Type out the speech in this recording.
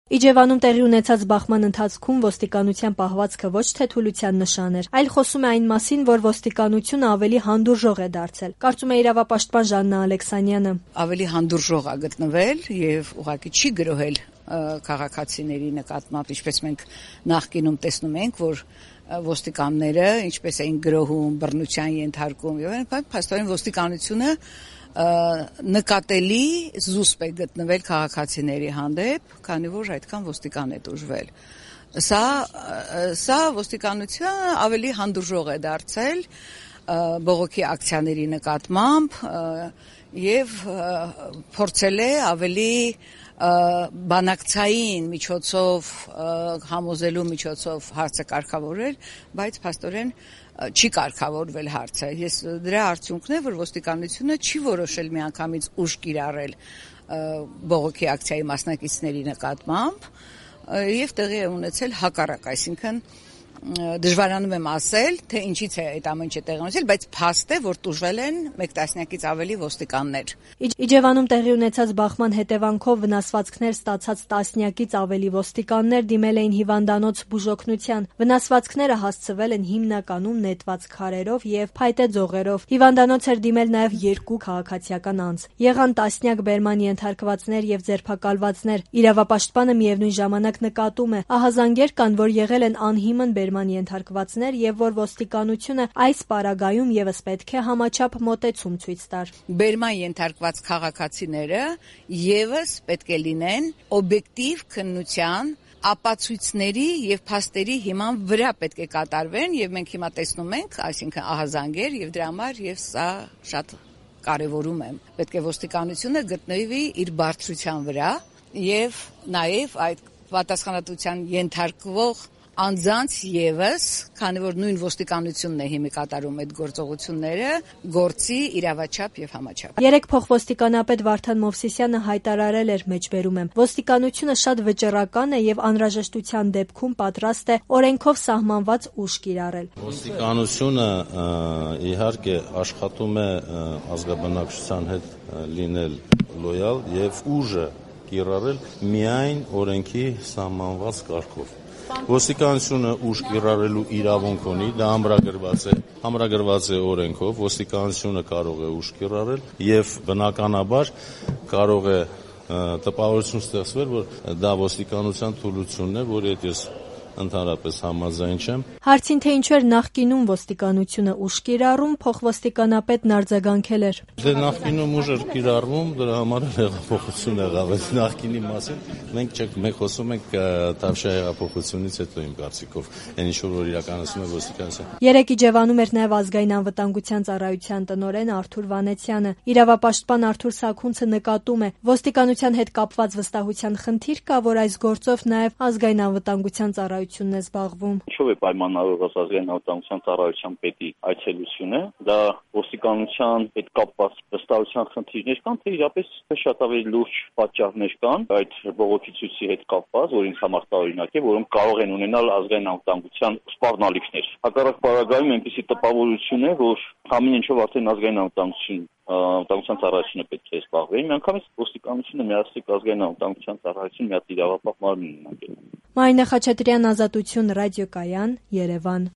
Իջևանում տեղի ունեցած բախման ընթացքում ոստիկանության պահվածքը ոչ թե թուլության նշան էր, այլ խոսում է այն մասին, որ ոստիկանությունը ավելի հանդուրժող է դարձել, կարծում է իրավապաշտպան Ժաննա Ալեքսանյանը։ Ավելի հանդուրժող է գտնվել եւ ուղղակի չի գրոհել քաղաքացիների նկատմամբ, ինչպես մենք նախկինում տեսնում ենք, որ ոստիկանները ինչպես էին գրոհում, բռնության ենթարկում եւ այլն, փաստորեն ոստիկանությունը նկատելի զուսպ է գտնվել քաղաքացիների հանդեպ, քանի որ այդքան ոստիկան է դժվել։ Սա ոստիկանությունը ավելի հանդուրժող է դարձել բողոքի ակցիաների նկատմամբ եւ փորձել է ավելի բանակցային միջոցով համոզելու միջոցով հարցը կարգավորել, բայց փաստորեն չի կարգավորվել հարցը։ Ես դրա արդյունքն է, որ ոստիկանությունը չի որոշել միանգամից ուժ կիրառել բողոքի ակցիայի մասնակիցների նկատմամբ եւ տեղի է ունեցել հակառակ, այսինքն դժվարանում եմ ասել, թե ինչից է այդ ամենը տեղի ունեցել, բայց փաստ է, որ տուժվել են 1 տասնյակից ավելի ոստիկաններ։ Իջևանում տեղի ունեցած բախման հետևանքով վնասվածքներ ստացած տասնյակից ավելի ոստիկաններ դիմել էին հիվանդանոց բուժօգնության։ Վնասվածքները հասցվել են հիմնականում նետված քարերով եւ փայտե ձողերով։ Հիվանդանոց էր դիմել նաեւ 2 քաղաքացիական անձ։ Եղան տասնյակ բերման ենթարկվածներ եւ ձերբակալվածներ։ Իրավապաշտպանը միևնույն ժամանակ նկատում է, ահազանգեր կան, որ եղել են անհիմն բերման ենթարկվածներ եւ որ ոստիկանությունը այս պարագայում եւս պետք է համաչափ մոտեցում ցույց տար։ Բերման ենթարկված քաղաքացիները եւս պետք է լինեն օբյեկտիվ քննության ապացույցների եւ փաստերի հիման վրա պետք է կատարվեն եւ մենք հիմա տեսնում ենք, այսինքն ահազանգեր եւ դրա համար եւ սա շատ կարեւորում եմ։ Պետք է ոստիկանությունը գտնվի իր բարձրության վրա եւ նաեւ այդ պատասխանատվության ենթարկվող անձանց եւս, քանի որ նույն ոստիկանությունն է հիմի կատարում այդ գործողությունները, գործի իրավաչափ եւ համաչափ։ Երեք փոխոստիկանապետ Վարդան Մովսիսյանը հայտարարել էր մեջբերում եմ. ոստիկանությունը շատ վճռական է եւ անհրաժեշտության դեպքում պատրաստ է օրենքով սահմանված ուժ կիրառել։ Ոստիկանությունը իհարկե աշխատում է ազգաբնակչության հետ լինել լոյալ եւ ուժը կիրառել միայն օրենքի սահմանված կարգով։ Ոստիկանությունը ուժ կիրառելու իրավունք ունի, դա ամրագրված է օրենքով, ոստիկանությունը կարող է ուժ կիրառել եւ բնականաբար կարող է տպավորություն ստեղծվել, որ դա ոստիկանության թուլությունն է, որի հետ ես ընդհանրապես համաձայն չեմ։ Հարցին թե ինչու էր նախկինում ոստիկանությունը ուժ կիրառում, փոխոստիկանապետն արձագանքել էր. Դե նախկինում ուժ էր կիրառվում, դրա համար հեղափոխություն եղավ։ Այդ նախկինի մասին մենք խոսում ենք Թավշյա հեղափոխությունից հետո իմ կարծիքով, այն ինչ որ իրականացնում է ոստիկանությունը։ Երեք Իջևանում էր նաև ազգային անվտանգության ծառայության տնօրեն Արթուր Վանեցյանը։ Իրավապաշտպան Արթուր Սաքունցը նկատում է, ոստիկանության հետ կապված վստահության խնդիր կա, որ այս գործով նաև ազգային անվտանգության ծառայությունն է զբաղվում։ Ինչով է պայմանավորված ազգային անվտանգության ծառայության պետի այցելությունը, դա ոստիկանության հետ կապված վստահության խնդիրներ կան, թե իրապես շատ ավելի լուրջ պատճառներ կան այդ բողոքի ցույցի հետ կապված, որ ինձ համար տարօրինակ է, որոնք կարող են ունենալ ազգային անվտանգության սպառնալիքներ։ Հակառակ պարագայում այնպիսի տպավորություն է, որ ամեն ինչով արդեն ազգային անվտանգության ծառայությունը պետք է զբաղվի։ Միանգամից ոստիկանությունը միասնիկ ազգային անվտանգության ծառայություն մի հատ իրավապահ մարմին ունենալ։ Մարինե Խաչատրյան, Ազատություն, ռադիոկայան, Երևան։